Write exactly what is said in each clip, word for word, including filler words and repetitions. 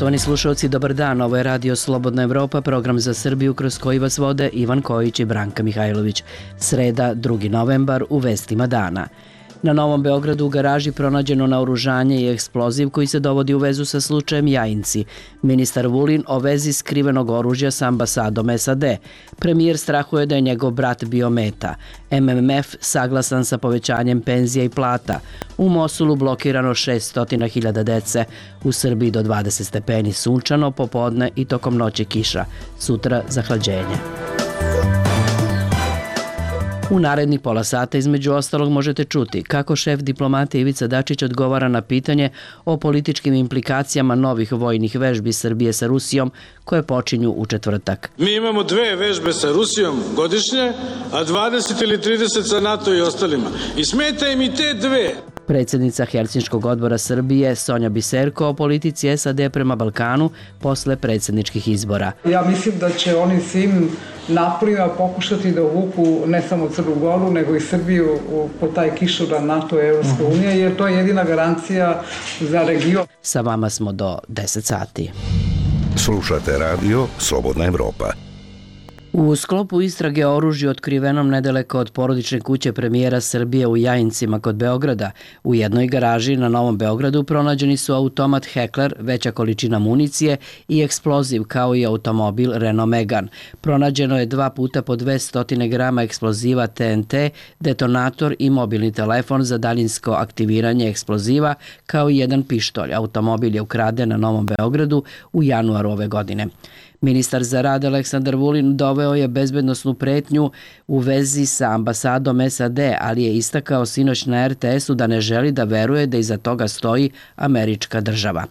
Poštovani slušalci, dobar dan. Ovo je Radio Slobodna Evropa, program za Srbiju kroz koji vas vode Ivan Kojić i Branka Mihajlović. Sreda, drugi novembar, u vestima dana. Na Novom Beogradu u garaži pronađeno naoružanje i eksploziv koji se dovodi u vezu sa slučajem Jajinci. Ministar Vulin o vezi skrivenog oružja sa ambasadom S A D. Premijer strahuje da je njegov brat bio meta. M M F saglasan sa povećanjem penzija i plata. U Mosulu blokirano šessto hiljada dece. U Srbiji do dvadeset stepeni sunčano, popodne i tokom noći kiša. Sutra zahlađenje. U narednih pola sata između ostalog možete čuti kako šef diplomate Ivica Dačić odgovara na pitanje o političkim implikacijama novih vojnih vežbi Srbije sa Rusijom koje počinju u četvrtak. Mi imamo dve vežbe sa Rusijom godišnje, a dvadeset ili trideset sa NATO i ostalima. I smeta im i te dve. Predsjednica Helsinškog odbora Srbije Sonja Biserko o politici S A D prema Balkanu posle predsjedničkih izbora. Ja mislim da će oni svim naporima pokušati da uvuku ne samo Crnu Goru, nego i Srbiju po taj kišobran NATO i Evropska unija, jer to je jedina garancija za region. Sa vama smo do deset sati. Slušate radio Slobodna Evropa. U sklopu istrage o oružju otkrivenom nedaleko od porodične kuće premijera Srbije u Jajincima kod Beograda, u jednoj garaži na Novom Beogradu pronađeni su automat Heckler, veća količina municije i eksploziv kao i automobil Renault Megane. Pronađeno je dva puta po dvesta grama eksploziva T N T, detonator i mobilni telefon za daljinsko aktiviranje eksploziva kao i jedan pištolj. Automobil je ukraden na Novom Beogradu u januaru ove godine. Ministar za rad Aleksandar Vulin doveo je bezbednosnu pretnju u vezi sa ambasadom S A D, ali je istakao sinoć na R T S-u da ne želi da veruje da iza toga stoji američka država.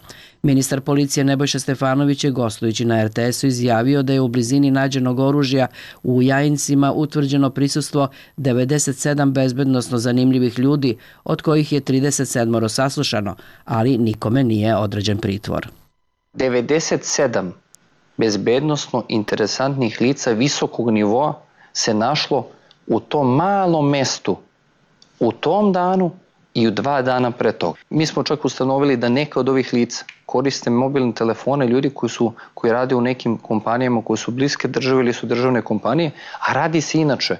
Ministar policije Nebojša Stefanović je gostujući na R T S-u izjavio da je u blizini nađenog oružja u Jajincima utvrđeno prisustvo devedeset sedam bezbednosno zanimljivih ljudi, od kojih je trideset sedam saslušano, ali nikome nije određen pritvor. devedeset sedam bezbednosno interesantnih lica visokog nivoa se našlo u tom malom mestu, u tom danu i u dva dana pre toga. Mi smo čak ustanovili da neka od ovih lica koriste mobilne telefone ljudi koji, su, koji rade u nekim kompanijama koje su bliske države ili su državne kompanije, a radi se inače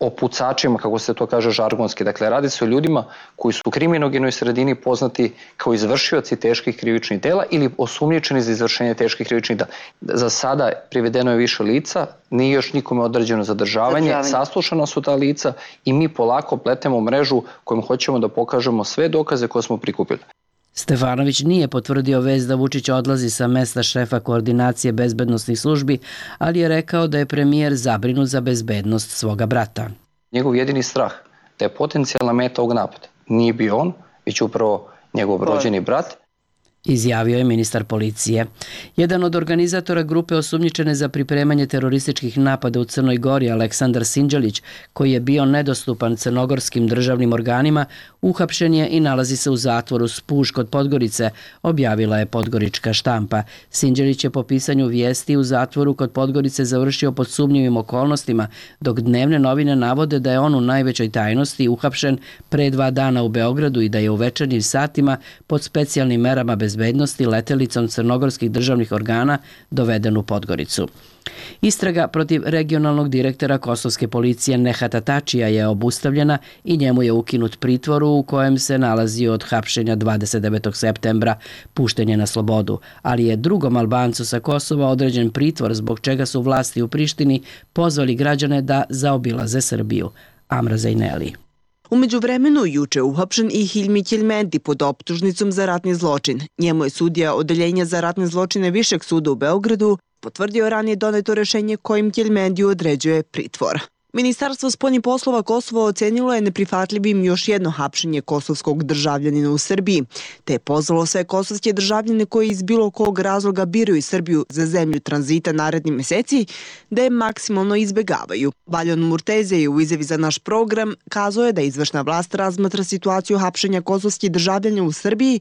o pucačima, kako se to kaže žargonski. Dakle, radi se o ljudima koji su u kriminogenoj sredini poznati kao izvršioci teških krivičnih dela ili osumnjičeni za izvršenje teških krivičnih dela. Za sada privedeno je više lica, nije još nikome određeno zadržavanje, Zadržavanje. Saslušana su ta lica i mi polako pletemo mrežu kojom hoćemo da pokažemo sve dokaze koje smo prikupili. Stefanović nije potvrdio vest da Vučić odlazi sa mesta šefa koordinacije bezbednosnih službi, ali je rekao da je premijer zabrinut za bezbednost svoga brata. Njegov jedini strah da je potencijalna meta ovog napada nije bio on, već upravo njegov rođeni brat, izjavio je ministar policije. Jedan od organizatora grupe osumnjičene za pripremanje terorističkih napada u Crnoj Gori, Aleksandar Sinđelić, koji je bio nedostupan crnogorskim državnim organima, uhapšen je i nalazi se u zatvoru Spuž kod Podgorice, objavila je podgorička štampa. Sinđelić je po pisanju vijesti u zatvoru kod Podgorice završio pod sumnjivim okolnostima, dok dnevne novine navode da je on u najvećoj tajnosti uhapšen pre dva dana u Beogradu i da je u večernjim satima pod specijalnim merama bez bezbednosti letelicom crnogorskih državnih organa doveden u Podgoricu. Istraga protiv regionalnog direktora kosovske policije Nehata Tačija je obustavljena i njemu je ukinut pritvor u kojem se nalazio od hapšenja dvadeset devetog septembra, pušten je na slobodu, ali je drugom Albancu sa Kosova određen pritvor zbog čega su vlasti u Prištini pozvali građane da zaobilaze Srbiju. Amra Zajneli. U međuvremenu juče uhapšen i Hilmi Ćelmendi pod optužnicom za ratni zločin. Njemu je sudija Odeljenja za ratne zločine Višeg suda u Beogradu potvrdio ranije doneto rešenje kojim Ćelmendiju određuje pritvor. Ministarstvo spoljnih poslova Kosova ocenilo je neprihvatljivim još jedno hapšenje kosovskog državljanina u Srbiji, te je pozvalo sve kosovske državljane koji iz bilo kog razloga biraju Srbiju za zemlju tranzita naredni meseci da je maksimalno izbegavaju. Valjon Murteze je u izjavi za naš program kazao je da izvršna vlast razmatra situaciju hapšenja kosovskih državljana u Srbiji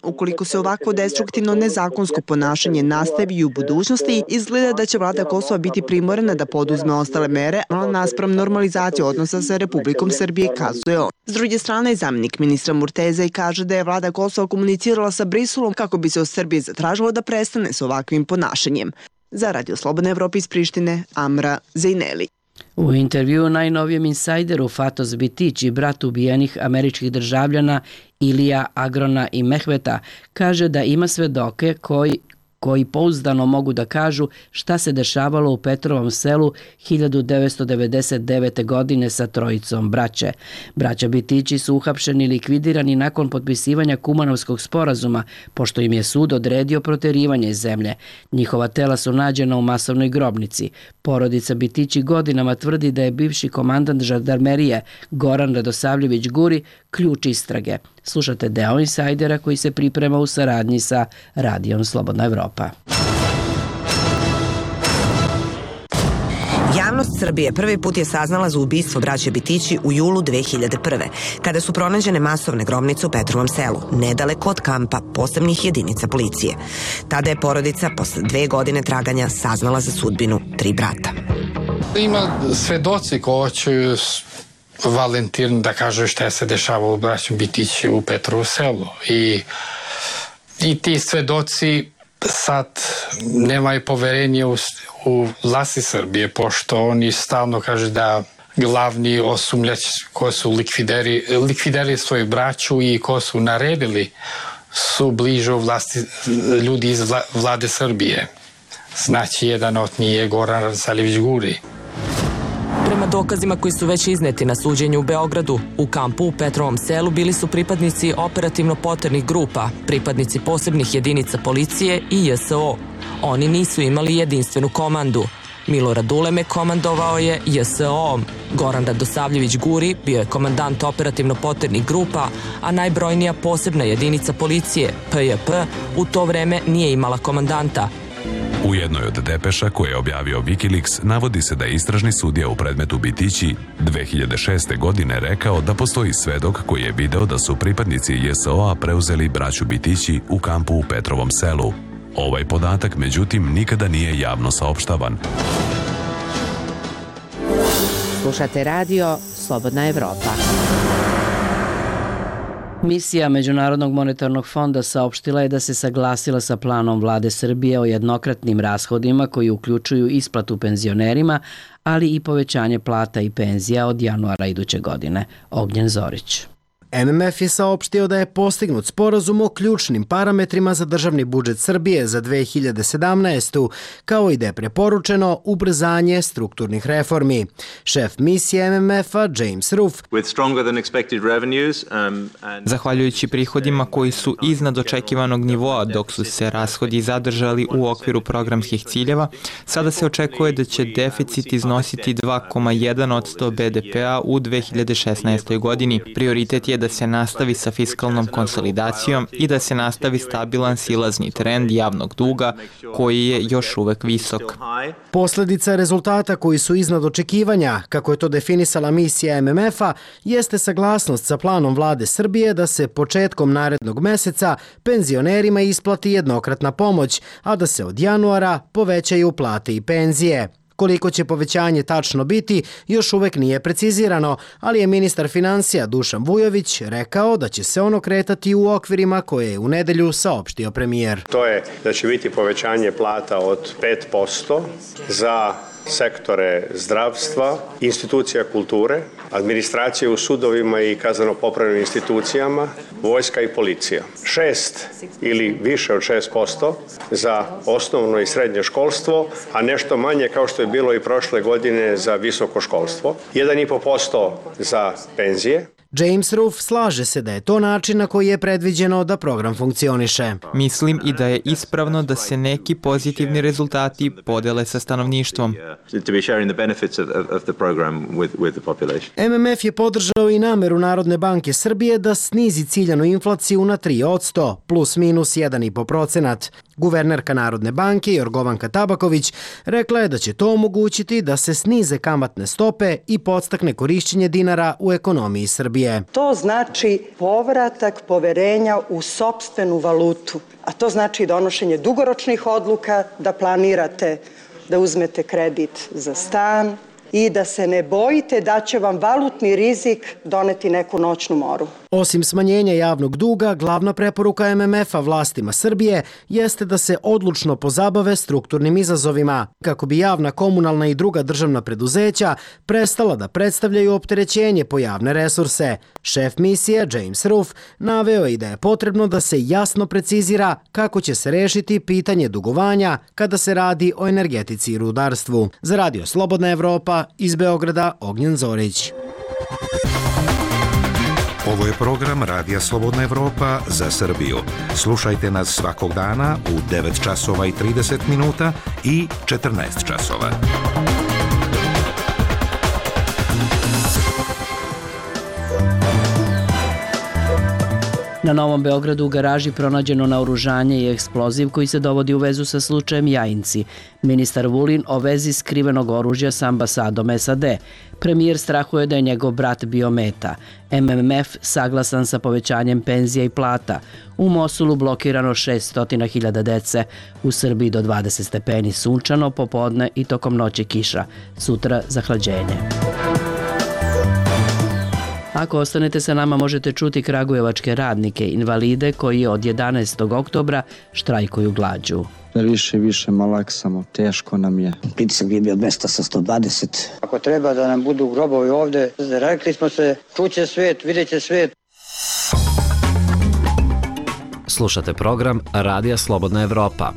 ukoliko se ovako destruktivno nezakonsko ponašanje nastavi u budućnosti, izgleda da će vlada Kosova Kosova biti primorana da poduzme ostale mere, ali naspram normalizacije odnosa sa Republikom Srbije, kazuje on. S druge strane, zamjenik ministra Murteza i kaže da je vlada Kosova komunicirala sa Briselom kako bi se od Srbije zatražilo da prestane s ovakvim ponašanjem. Za Radio Slobodna Evropa iz Prištine, Amra Zejneli. U intervjuu najnovijem insajderu Fatos Bitići, brat ubijenih američkih državljana Ilija, Agrona i Mehmeta, kaže da ima svedoke koji koji pouzdano mogu da kažu šta se dešavalo u Petrovom selu hiljadu devetsto devedeset devete. godine sa trojicom braće. Braća Bitići su uhapšeni i likvidirani nakon potpisivanja Kumanovskog sporazuma, pošto im je sud odredio proterivanje iz zemlje. Njihova tela su nađena u masovnoj grobnici. Porodica Bitići godinama tvrdi da je bivši komandant žandarmerije Goran Radosavljević Guri ključ istrage. Slušate deo insajdera koji se priprema u saradnji sa Radijom Slobodna Evropa. Javnost Srbije prvi put je saznala za ubistvo braće Bitići u julu dve hiljade prve. kada su pronađene masovne grobnice u Petrovom selu, nedaleko od kampa posebnih jedinica policije. Tada je porodica posle dve godine traganja saznala za sudbinu tri brata. Ima svedoci ko će Valentin da kaže šta se dešavalo u braćom Bitići u Petrovu selu. I, i ti svedoci sad nemaju poverenje u, u vlasti Srbije, pošto oni stalno kaže da glavni osumljač ko su likvideri, likvideri svoju braću i ko su naredili su bliže u vlasti ljudi iz vla, vlade Srbije. Znači, jedan od njih je Goran Radosavljević Guri. Prema dokazima koji su već izneti na suđenju u Beogradu, u kampu u Petrovom selu bili su pripadnici operativno poternih grupa, pripadnici posebnih jedinica policije i J S O. Oni nisu imali jedinstvenu komandu. Milorad Uleme komandovao je J S O-om. Goran Radosavljević Guri bio je komandant operativno poternih grupa, a najbrojnija posebna jedinica policije, P J P, u to vreme nije imala komandanta. U jednoj od depeša koje je objavio Wikileaks navodi se da je istražni sudija u predmetu Bitići dve hiljade šeste. godine rekao da postoji svedok koji je video da su pripadnici J S O-a preuzeli braću Bitići u kampu u Petrovom selu. Ovaj podatak, međutim, nikada nije javno saopštavan. Slušate radio Slobodna Evropa. Misija Međunarodnog monetarnog fonda saopštila je da se saglasila sa planom vlade Srbije o jednokratnim rashodima koji uključuju isplatu penzionerima, ali i povećanje plata i penzija od januara iduće godine. Ognjen Zorić. M M F je saopštio da je postignut sporazum o ključnim parametrima za državni budžet Srbije za dve hiljade sedamnaestu. kao i da je preporučeno ubrzanje strukturnih reformi. Šef misije M M F-a James Roof. Zahvaljujući prihodima koji su iznad očekivanog nivoa dok su se rashodi zadržali u okviru programskih ciljeva, sada se očekuje da će deficit iznositi dva zarez jedan posto B D P-a u dve hiljade šesnaestoj. godini. Prioritet je da se nastavi sa fiskalnom konsolidacijom i da se nastavi stabilan silazni trend javnog duga koji je još uvek visok. Posledica rezultata koji su iznad očekivanja, kako je to definisala misija M M F-a, jeste saglasnost sa planom vlade Srbije da se početkom narednog meseca penzionerima isplati jednokratna pomoć, a da se od januara povećaju plate i penzije. Koliko će povećanje tačno biti, još uvek nije precizirano, ali je ministar finansija Dušan Vujović rekao da će se ono kretati u okvirima koje je u nedelju saopštio premijer. To je da će biti povećanje plata od pet posto za sektore zdravstva, institucija kulture, administracije u sudovima i kazneno-popravnim institucijama, vojska i policija. Šest ili više od šest posto za osnovno i srednje školstvo, a nešto manje kao što je bilo i prošle godine za visoko školstvo. jedan i po posto za penzije. James Roof slaže se da je to način na koji je predviđeno da program funkcioniše. Mislim i da je ispravno da se neki pozitivni rezultati podele sa stanovništvom. M M F je podržao i nameru Narodne banke Srbije da snizi ciljanu inflaciju na tri posto, plus minus jedan i po procenat. Guvernerka Narodne banke Jorgovanka Tabaković rekla je da će to omogućiti da se snize kamatne stope i podstakne korišćenje dinara u ekonomiji Srbije. To znači povratak poverenja u sopstvenu valutu, a to znači donošenje dugoročnih odluka, da planirate da uzmete kredit za stan i da se ne bojite da će vam valutni rizik doneti neku noćnu moru. Osim smanjenja javnog duga, glavna preporuka M M F-a vlastima Srbije jeste da se odlučno pozabave strukturnim izazovima, kako bi javna, komunalna i druga državna preduzeća prestala da predstavljaju opterećenje po javne resurse. Šef misije, James Ruff, naveo je i da je potrebno da se jasno precizira kako će se rešiti pitanje dugovanja kada se radi o energetici i rudarstvu. Za Radio Slobodna Evropa, iz Beograda, Ognjen Zorić. Ovo je program Radija Slobodna Evropa za Srbiju. Slušajte nas svakog dana u devet časova i trideset minuta i četrnaest časova. Na Novom Beogradu u garaži pronađeno naoružanje i eksploziv koji se dovodi u vezu sa slučajem Jajinci. Ministar Vulin o vezi skrivenog oružja sa ambasadom S A D. Premijer strahuje da je njegov brat bio meta. M M F saglasan sa povećanjem penzija i plata. U Mosulu blokirano šessto hiljada dece. U Srbiji do dvadeset stepeni sunčano, popodne i tokom noći kiša. Sutra zahlađenje. Ako ostanete sa nama, možete čuti kragujevačke radnike, invalide koji od jedanaestog oktobra štrajkuju glađu. Više i više malaksamo, teško nam je. Pritisak je bio dvesta sa sto dvadeset. Ako treba da nam budu grobovi ovde, rekli smo se, čuće svet, vidjet će svet. Slušate program Radija Slobodna Evropa.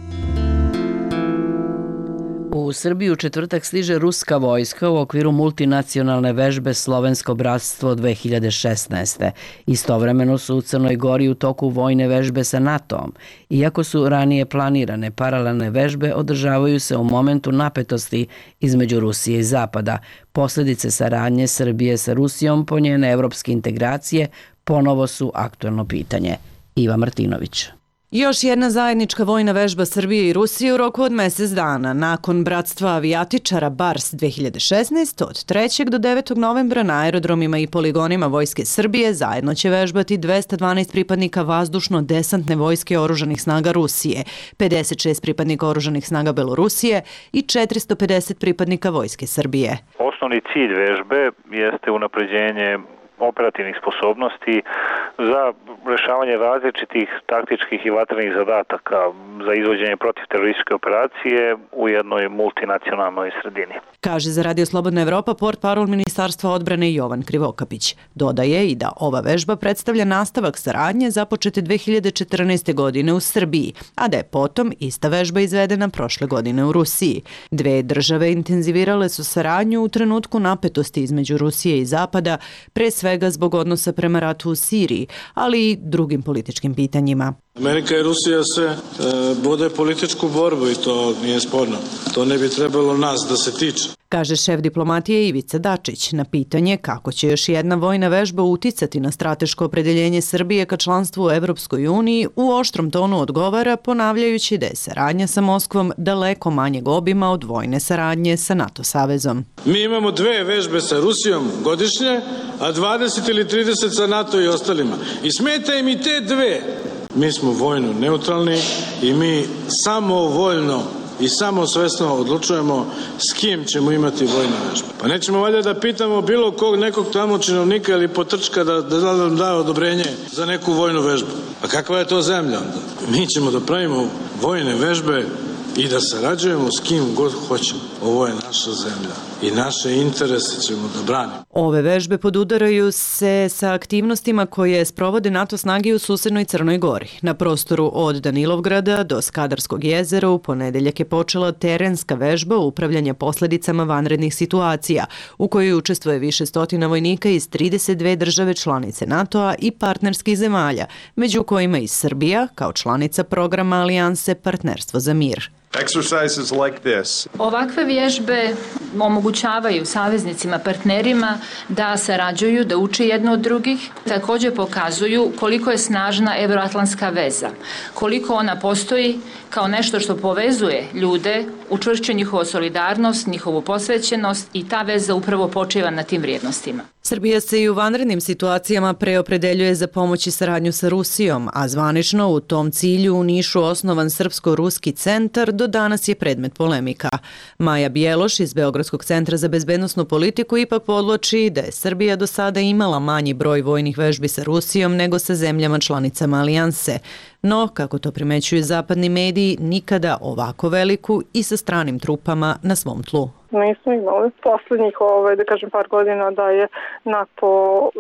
U Srbiju u četvrtak stiže ruska vojska u okviru multinacionalne vežbe Slovensko bratstvo dve hiljade šesnaeste. Istovremeno su u Crnoj Gori u toku vojne vežbe sa NATO-om. Iako su ranije planirane, paralelne vežbe održavaju se u momentu napetosti između Rusije i Zapada. Posledice saradnje Srbije sa Rusijom po njene evropske integracije ponovo su aktuelno pitanje. Iva Martinović. Još jedna zajednička vojna vežba Srbije i Rusije u roku od mesec dana. Nakon bratstva avijatičara Bars dve hiljade šesnaeste, od trećeg do devetog novembra na aerodromima i poligonima Vojske Srbije zajedno će vežbati dvesta dvanaest pripadnika vazdušno-desantne vojske oružanih snaga Rusije, pedeset šest pripadnika oružanih snaga Belorusije i četiristo pedeset pripadnika Vojske Srbije. Osnovni cilj vežbe jeste unapređenje operativnih sposobnosti za rešavanje različitih taktičkih i vatrenih zadataka za izvođenje protivterorističke operacije u jednoj multinacionalnoj sredini. Kaže za Radio Slobodna Evropa portparol Ministarstva odbrane Jovan Krivokapić. Dodaje i da ova vežba predstavlja nastavak saradnje započete dve hiljade četrnaeste. godine u Srbiji, a da je potom ista vežba izvedena prošle godine u Rusiji. Dve države intenzivirale su saradnju u trenutku napetosti između Rusije i Zapada, pre svega zbog odnosa prema ratu u Siriji, ali i drugim političkim pitanjima. Amerika i Rusija se e, vode političku borbu i to nije sporno. To ne bi trebalo nas da se tiče. Kaže šef diplomatije Ivica Dačić na pitanje kako će još jedna vojna vežba uticati na strateško opredeljenje Srbije ka članstvu u Evropskoj uniji, u oštrom tonu odgovara ponavljajući da je saradnja sa Moskvom daleko manjeg obima od vojne saradnje sa NATO savezom. Mi imamo dve vežbe sa Rusijom godišnje, a dvadeset ili trideset sa NATO i ostalima. I smeta im i te dve. Mi smo vojno neutralni i mi samo voljno i samo svesno odlučujemo s kim ćemo imati vojne vežbe. Pa nećemo valjda da pitamo bilo kog nekog tamo činovnika ili potrčka da, da nam da odobrenje za neku vojnu vežbu. A kakva je to zemlja onda? Mi ćemo da pravimo vojne vežbe i da sarađujemo s kim god hoćemo. Ovo je naša zemlja i naše interese ćemo da branimo. Ove vežbe podudaraju se sa aktivnostima koje sprovode NATO snage u susednoj Crnoj Gori. Na prostoru od Danilovgrada do Skadarskog jezera u ponedeljak je počela terenska vežba upravljanja posledicama vanrednih situacija, u kojoj učestvuje više stotina vojnika iz trideset dve države članice NATO-a i partnerskih zemalja, među kojima i Srbija kao članica programa Alijanse Partnerstvo za mir. Ovakve vježbe omogućavaju saveznicima, partnerima da sarađuju, da uče jedno od drugih. Također pokazuju koliko je snažna evroatlantska veza, koliko ona postoji kao nešto što povezuje ljude učvršćuje njihovu solidarnost, njihovu posvećenost i ta veza upravo počiva na tim vrijednostima. Srbija se i u vanrednim situacijama preopredeljuje za pomoć i saradnju sa Rusijom, a zvanično u tom cilju u Nišu osnovan Srpsko-ruski centar do danas je predmet polemika. Maja Bjeloš iz Beogradskog centra za bezbednosnu politiku ipak podloči da je Srbija do sada imala manji broj vojnih vežbi sa Rusijom nego sa zemljama članicama alijanse. No, kako to primećuju zapadni mediji, nikada ovako veliku i sa stranim trupama na svom tlu. Nismo imali poslednjih, ovaj, da kažem, par godina da je NATO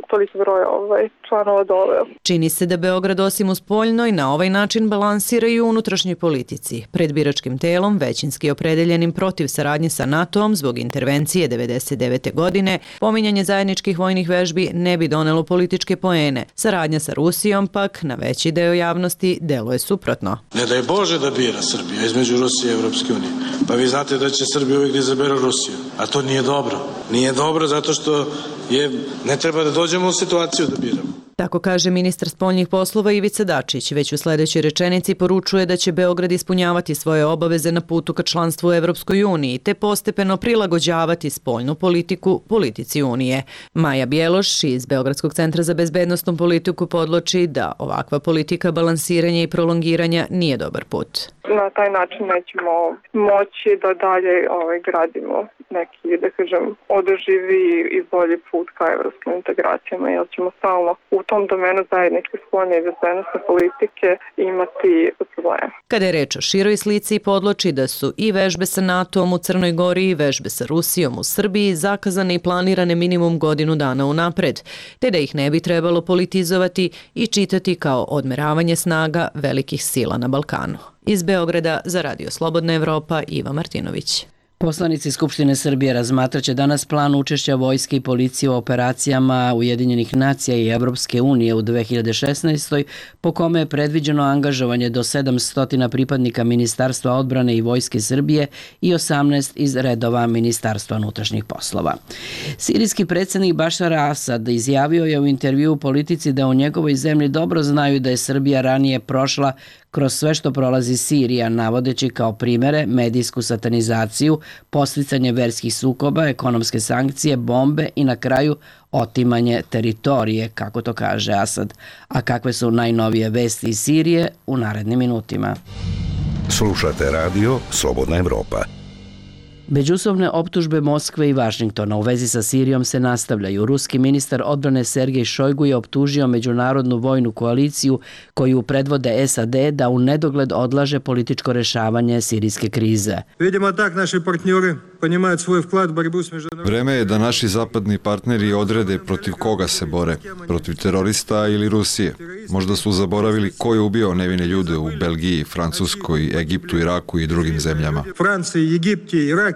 toliko broj ovaj, članova doveo. Čini se da Beograd osim u spoljnoj na ovaj način balansira i u unutrašnjoj politici. Pred biračkim telom, većinski opredeljenim protiv saradnje sa NATO-om zbog intervencije devedeset devete. godine, pominjanje zajedničkih vojnih vežbi ne bi donelo političke poene. Saradnja sa Rusijom pak na veći deo javnosti deluje suprotno. Ne daj Bože da bira Srbija između Rusije i Evropske unije. Pa vi znate da će Srbija uvijek da izabere Rusiju, a to nije dobro. Nije dobro zato što je, ne treba da dođemo u situaciju da biramo. Tako kaže ministar spoljnih poslova Ivica Dačić. Već u sledećoj rečenici poručuje da će Beograd ispunjavati svoje obaveze na putu ka članstvu u Evropskoj uniji te postepeno prilagođavati spoljnu politiku politici Unije. Maja Bjeloš iz Beogradskog centra za bezbednosnu politiku podloči da ovakva politika balansiranja i prolongiranja nije dobar put. Na taj način nećemo moći da dalje ovaj, gradimo neki, da kažem, održivi i bolji put ka evropskim integracijama, jer ćemo stalno u tom domenu zajedničke spoljne i bezbednosne politike imati probleme. Kada je reč o široj slici, podloči da su i vežbe sa NATO-om u Crnoj Gori i vežbe sa Rusijom u Srbiji zakazane i planirane minimum godinu dana unapred, te da ih ne bi trebalo politizovati i čitati kao odmeravanje snaga velikih sila na Balkanu. Iz Beograda za Radio Slobodna Evropa, Iva Martinović. Poslanici Skupštine Srbije razmatraće danas plan učešća vojske i policije u operacijama Ujedinjenih nacija i Evropske unije u dve hiljade šesnaestoj. po kome je predviđeno angažovanje do sedamsto pripadnika Ministarstva odbrane i Vojske Srbije i osamnaest iz redova Ministarstva unutrašnjih poslova. Sirijski predsjednik Bašar Asad izjavio je u intervju u Politici da u njegovoj zemlji dobro znaju da je Srbija ranije prošla kroz sve što prolazi Sirija, navodeći kao primere medijsku satanizaciju, posticanje verskih sukoba, ekonomske sankcije, bombe i na kraju otimanje teritorije, kako to kaže Asad. A kakve su najnovije vesti iz Sirije u narednim minutima. Slušate radio Slobodna Evropa. Međusobne optužbe Moskve i Vašingtona u vezi sa Sirijom se nastavljaju. Ruski ministar odbrane Sergej Šojgu je optužio međunarodnu vojnu koaliciju koju predvode S A D da u nedogled odlaže političko rešavanje sirijske krize. Vidimo tak naši partneri понимают svoj vklad u borbu s međunarodnim... Vreme je da naši zapadni partneri odrede protiv koga se bore, protiv terorista ili Rusije. Možda su zaboravili ko je ubio nevine ljude u Belgiji, Francuskoj, Egiptu, Iraku i drugim zemljama. Franciji, Egipti, Iraki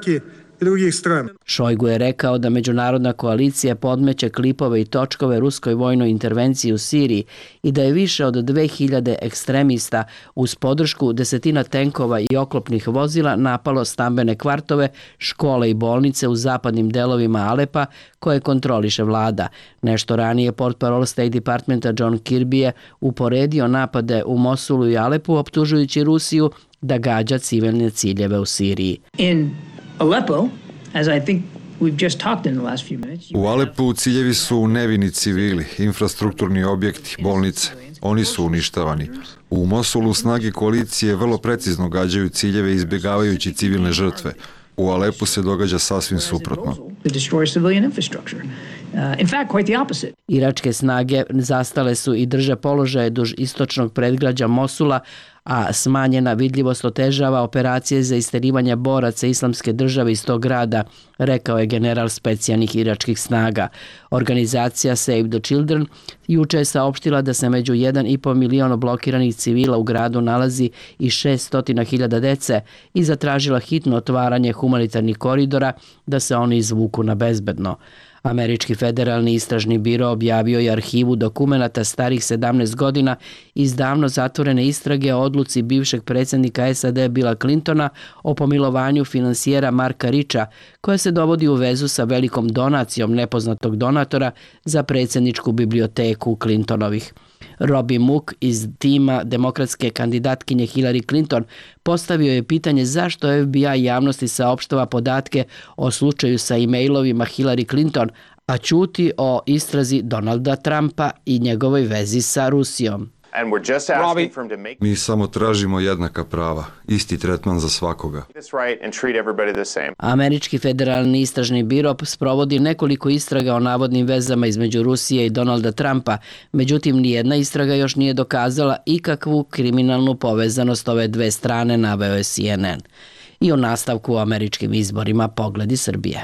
i drugih strana. Šojgu je rekao da međunarodna koalicija podmeće klipove i točkove ruskoj vojnoj intervenciji u Siriji i da je više od dve hiljade ekstremista uz podršku desetina tenkova i oklopnih vozila napalo stambene kvartove, škole i bolnice u zapadnim delovima Alepa koje kontroliše vlada. Nešto ranije portparol State Departmenta John Kirby je uporedio napade u Mosulu i Alepu optužujući Rusiju da gađa civilne ciljeve u Siriji. In Aleppo, as I think we've just talked in the last few minutes. U Alepu ciljevi su nevini civili, infrastrukturni objekti, bolnice. Oni su uništavani. U Mosulu snage koalicije vrlo precizno gađaju ciljeve izbjegavajući civilne žrtve. U Alepu se događa sasvim suprotno. Iračke snage zastale su i drže položaje duž istočnog predgrađa Mosula, a smanjena vidljivost otežava operacije za isterivanje boraca Islamske države iz tog grada, rekao je general specijalnih iračkih snaga. Organizacija Save the Children juče je saopštila da se među jedan i po milion blokiranih civila u gradu nalazi i šessto hiljada dece i zatražila hitno otvaranje humanitarnih koridora da se oni izvuku na bezbedno. Američki federalni istražni biro objavio je arhivu dokumenata starih sedamnaest godina iz davno zatvorene istrage o odluci bivšeg predsjednika S A D Billa Clintona o pomilovanju finansijera Marka Richa, koja se dovodi u vezu sa velikom donacijom nepoznatog donatora za predsjedničku biblioteku Clintonovih. Robbie Mook iz tima demokratske kandidatkinje Hillary Clinton postavio je pitanje zašto F B I javnosti saopštava podatke o slučaju sa e-mailovima Hillary Clinton, a ćuti o istrazi Donalda Trumpa i njegovoj vezi sa Rusijom. Mi samo tražimo jednaka prava, isti tretman za svakoga. Američki federalni istražni biro sprovodi nekoliko istraga o navodnim vezama između Rusije i Donalda Trumpa, međutim nijedna istraga još nije dokazala ikakvu kriminalnu povezanost ove dve strane, naveo je C N N. I u nastavku o američkim izborima pogledi Srbije.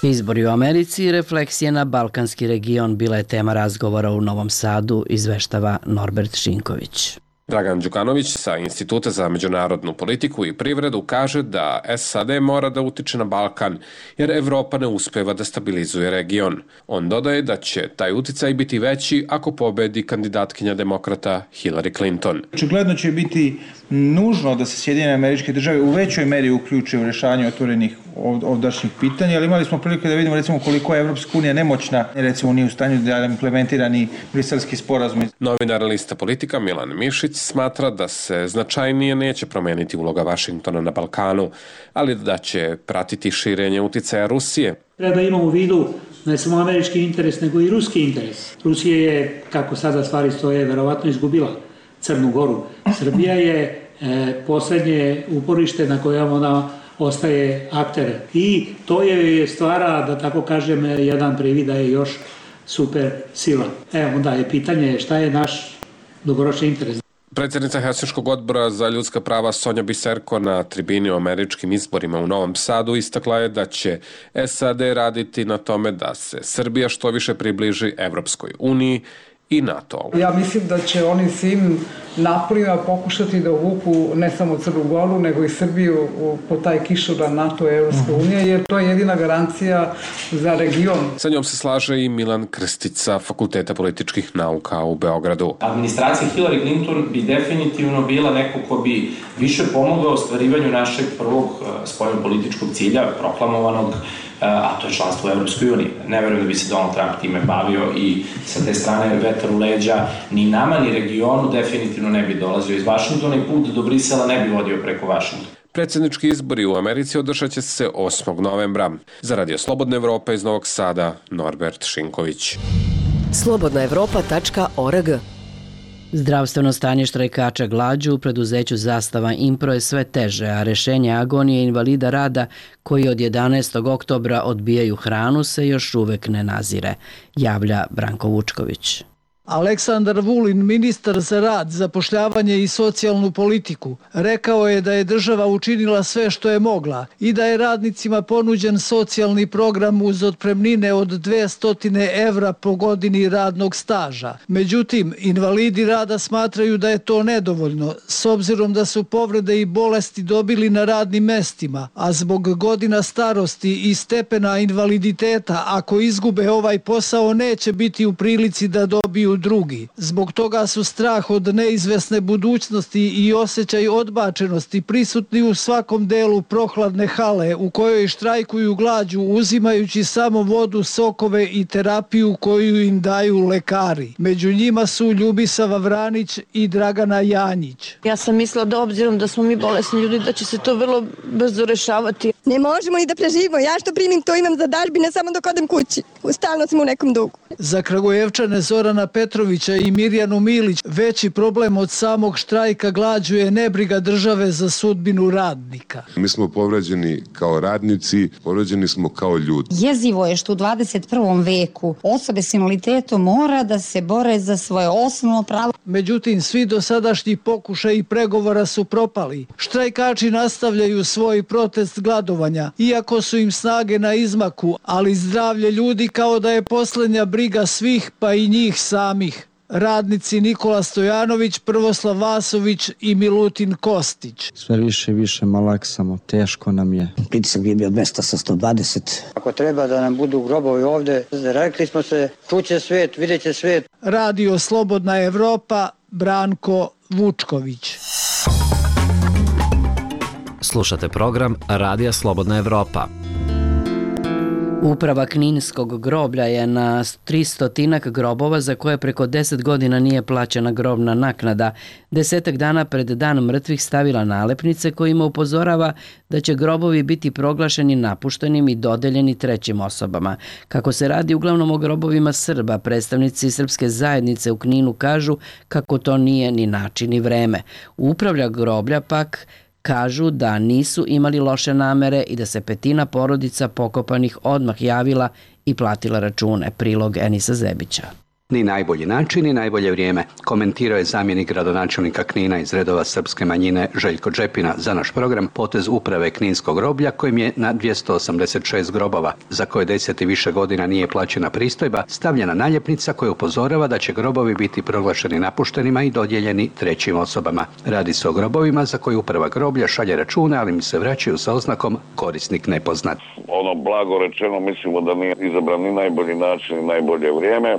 Izbori u Americi i refleksije na balkanski region bila je tema razgovora u Novom Sadu, izveštava Norbert Šinković. Dragan Đukanović sa Instituta za međunarodnu politiku i privredu kaže da S A D mora da utiče na Balkan jer Evropa ne uspeva da stabilizuje region. On dodaje da će taj uticaj biti veći ako pobedi kandidatkinja demokrata Hillary Clinton. Očigledno će biti nužno da se Sjedinjene Američke Države u većoj meri uključe u rješavanje otvorenih ovdašnjih pitanja, ali imali smo prilike da vidimo recimo koliko je Evropska unija nemoćna, recimo nije u stanju da implementira ni briselski sporazum. Novinar lista Politika Milan Mišić smatra da se značajnije neće promeniti uloga Vašingtona na Balkanu, ali da će pratiti širenje uticaja Rusije. Treba da imamo u vidu ne samo američki interes, nego i ruski interes. Rusija je, kako sada stvari stoje, verovatno izgubila Crnu Goru. Srbija je e, poslednje uporište na kojem ona ostaje akter. I to je stvara, da tako kažem, jedan privid da je još super sila. E, onda je pitanje šta je naš dugoročni interes. Predsjednica Helsinškog odbora za ljudska prava Sonja Biserko na tribini o američkim izborima u Novom Sadu istakla je da će S A D raditi na tome da se Srbija što više približi Evropskoj uniji i NATO. Ja mislim da će oni svim naporima pokušati da uvuku ne samo Crnu Goru, nego i Srbiju po taj kišobran NATO i Evropske unije, jer to je jedina garancija za region. Sa njom se slaže i Milan Krstić sa Fakulteta političkih nauka u Beogradu. Administracija Hillary Clinton bi definitivno bila neko ko bi više pomogao ostvarivanju našeg prvog spoljnopolitičkog cilja, proklamovanog, a to je članstvo u Evropskoj uniji. Ne verujem da bi se Donald Trump time bavio i sa te strane vetar u leđa ni nama ni regionu definitivno ne bi dolazio iz Vašingtona i put do Brisela ne bi vodio preko Vašingtona. Predsjednički izbori u Americi održat će se osmog novembra. Za Radio Slobodna Evropa iz Novog Sada, Norbert Šinković. slobodna evropa tačka org. Zdravstveno stanje štrajkača glađu u preduzeću Zastava Impro je sve teže, a rešenje agonije invalida rada koji od jedanaestog oktobra odbijaju hranu se još uvek ne nazire, javlja Branko Vučković. Aleksandar Vulin, ministar za rad, zapošljavanje i socijalnu politiku, rekao je da je država učinila sve što je mogla i da je radnicima ponuđen socijalni program uz otpremnine od dvesta evra po godini radnog staža. Međutim, invalidi rada smatraju da je to nedovoljno, s obzirom da su povrede i bolesti dobili na radnim mestima, a zbog godina starosti i stepena invaliditeta, ako izgube ovaj posao, neće biti u prilici da dobiju drugi. Zbog toga su strah od neizvesne budućnosti i osjećaj odbačenosti prisutni u svakom delu prohladne hale u kojoj štrajkuju glađu uzimajući samo vodu, sokove i terapiju koju im daju lekari. Među njima su Ljubisava Vranić i Dragana Janjić. Ja sam mislila da obzirom da smo mi bolesni ljudi da će se to vrlo brzo rešavati. Ne možemo ni da preživimo. Ja što primim to imam za dažbine samo dok odem kući. Stalno smo u nekom dugu. Za Kragujevčane Zorana Petrovića i Mirjanu Milić veći problem od samog štrajka glađu je nebriga države za sudbinu radnika. Mi smo povređeni kao radnici, povređeni smo kao ljudi. Jezivo je što u dvadeset prvom veku osobe s invaliditetom mora da se bore za svoje osnovno pravo. Međutim, svi dosadašnji pokušaji i pregovora su propali. Štrajkači nastavljaju svoj protest gladovanja, iako su im snage na izmaku, ali zdravlje ljudi kao da je posljednja briga svih, pa i njih samih. Radnici Nikola Stojanović, Prvoslav Vasović i Milutin Kostić. Sve više i više malaksamo, teško nam je. Pritisak bi bio dvesta sa sto dvadeset. Ako treba da nam budu grobovi ovde, rekli smo se, čuće svijet, vidjet će svijet. Radio Slobodna Evropa, Branko Vučković. Slušate program Radija Slobodna Evropa. Uprava Kninskog groblja je na tristotinak grobova za koje preko deset godina nije plaćena grobna naknada, desetak dana pred dan mrtvih stavila nalepnice kojima upozorava da će grobovi biti proglašeni napuštenim i dodeljeni trećim osobama. Kako se radi uglavnom o grobovima Srba, predstavnici srpske zajednice u Kninu kažu kako to nije ni način ni vreme. Upravlja groblja pak kažu da nisu imali loše namere i da se petina porodica pokopanih odmah javila i platila račune. Prilog Enisa Zebića. Ni najbolji način, ni najbolje vrijeme, komentirao je zamjenik gradonačelnika Knina iz redova srpske manjine Željko Džepina za naš program potez uprave Kninskog groblja kojim je na dvjesto osamdeset šest grobova, za koje deset i više godina nije plaćena pristojba, stavljena naljepnica koja upozorava da će grobovi biti proglašeni napuštenima i dodijeljeni trećim osobama. Radi se o grobovima za koje uprava groblja šalje račune, ali mi se vraćaju sa oznakom korisnik nepoznat. Ono blago rečeno mislimo da nije izabran ni najbolji način, ni najbolje vrijeme.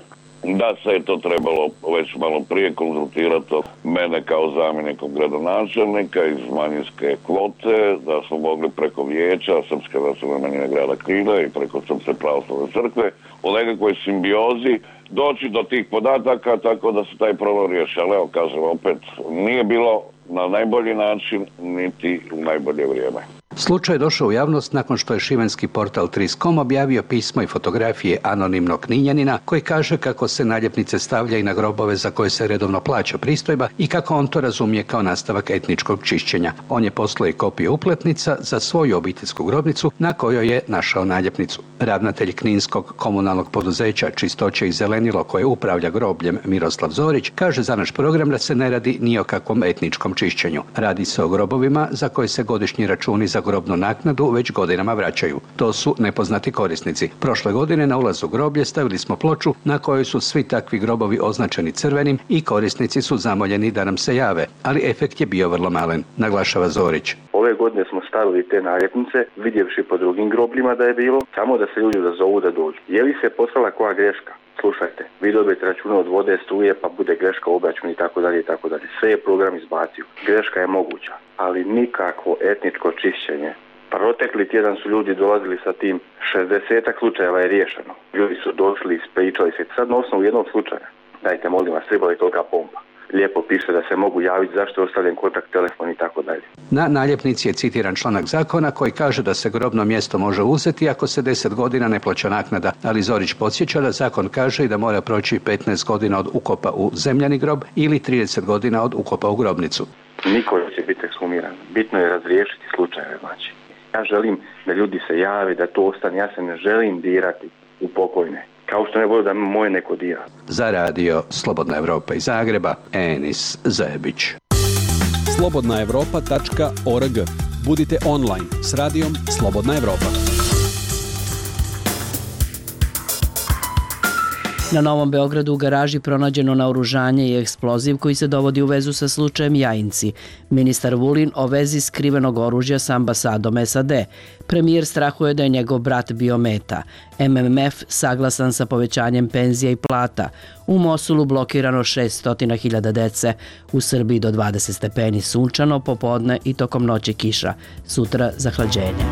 Da se je to trebalo već malo prije konzultirati mene kao zamjenikom gradonačelnika iz manjinske kvote, da smo mogli preko vijeća Srpske nacionalne manjine grada Knina i preko Srpske pravoslavne crkve u nekakvoj simbiozi doći do tih podataka tako da se taj problem riješi. Ali evo kažem opet, nije bilo na najbolji način niti u najbolje vrijeme. Slučaj je došao u javnost nakon što je šibenski portal tri koma com objavio pismo i fotografije anonimnog Kninjanina koji kaže kako se naljepnice stavlja i na grobove za koje se redovno plaća pristojba i kako on to razumije kao nastavak etničkog čišćenja. On je poslao i kopije upletnica za svoju obiteljsku grobnicu na kojoj je našao naljepnicu. Ravnatelj Kninskog komunalnog poduzeća Čistoće i zelenilo koje upravlja grobljem Miroslav Zorić kaže za naš program da se ne radi ni o kakvom etničkom čišćenju. Radi se o grobovima za koje se godišnji računi za grobnu naknadu već godinama vraćaju. To su nepoznati korisnici. Prošle godine na ulazu groblje stavili smo ploču na kojoj su svi takvi grobovi označeni crvenim i korisnici su zamoljeni da nam se jave, ali efekt je bio vrlo malen, naglašava Zorić. Ove godine smo stavili te naljepnice, vidjevši po drugim grobljima da je bilo, samo da se ljudi odazovu da dođu. Je li se poslala koja greška? Slušajte, vi dobijete račune od vode, struje, pa bude greška u obračunu i tako dalje i tako dalje. Sve je program izbacio. Greška je moguća, ali nikakvo etničko čišćenje. Protekli tjedan su ljudi dolazili sa tim, šezdesetak slučajeva je riješeno. Ljudi su došli, ispričali se. Sad na osnovu jednog slučaja, dajte molim vas, treba je tolika pompa. Lijepo piše da se mogu javiti zašto je ostavljen kontakt, telefon i tako dalje. Na naljepnici je citiran članak zakona koji kaže da se grobno mjesto može uzeti ako se deset godina ne plaća naknada, ali Zorić podsjeća da zakon kaže i da mora proći petnaest godina od ukopa u zemljani grob ili trideset godina od ukopa u grobnicu. Niko će biti ekshumiran. Bitno je razriješiti slučajeve, znači. Ja želim da ljudi se jave, da to ostane. Ja se ne želim dirati u pokojne. Kao što ne volim da moje neko dira. Za radio Slobodna Evropa iz Zagreba, Enis Zebić. slobodna evropa tačka org. Budite online s radijom Slobodna Evropa. Na Novom Beogradu u garaži pronađeno naoružanje i eksploziv koji se dovodi u vezu sa slučajem Jajinci. Ministar Vulin o vezi skrivenog oružja sa ambasadom S A D. Premijer strahuje da je njegov brat bio meta. M M F saglasan sa povećanjem penzija i plata. U Mosulu blokirano šessto hiljada dece. U Srbiji do dvadeset stepeni sunčano, popodne i tokom noći kiša. Sutra zahlađenje.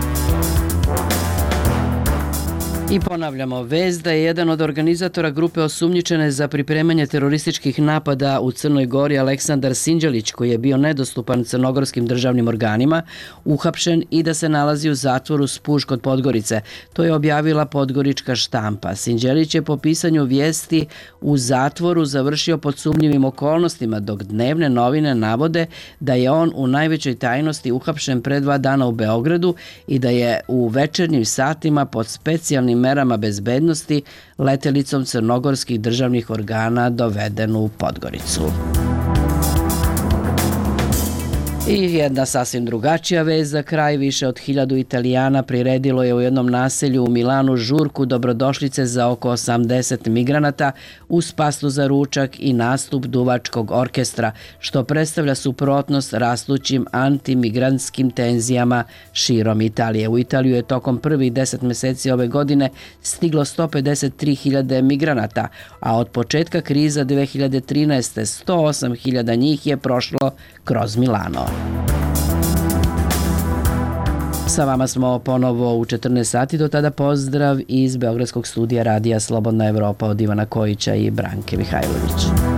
I ponavljamo, vest da je jedan od organizatora grupe osumnjičene za pripremanje terorističkih napada u Crnoj Gori Aleksandar Sinđelić, koji je bio nedostupan crnogorskim državnim organima, uhapšen i da se nalazi u zatvoru Spuž kod Podgorice. To je objavila podgorička štampa. Sinđelić je po pisanju vijesti u zatvoru završio pod sumnjivim okolnostima, dok dnevne novine navode da je on u najvećoj tajnosti uhapšen pre dva dana u Beogradu i da je u večernjim satima pod specijalnim merama bezbednosti letelicom crnogorskih državnih organa doveden u Podgoricu. I jedna sasvim drugačija vez za kraj. Više od hiljadu Italijana priredilo je u jednom naselju u Milanu žurku dobrodošlice za oko osamdeset migranata uz pastu za ručak i nastup duvačkog orkestra, što predstavlja suprotnost rastućim antimigrantskim tenzijama širom Italije. U Italiju je tokom prvih deset mjeseci ove godine stiglo sto pedeset tri hiljade migranata, a od početka kriza dve hiljade trinaeste. sto osam hiljada njih je prošlo kroz Milano. Sa vama smo ponovo u četrnaest sati, do tada pozdrav iz Beogradskog studija Radija Slobodna Evropa od Ivana Kojića i Branke Mihajlović.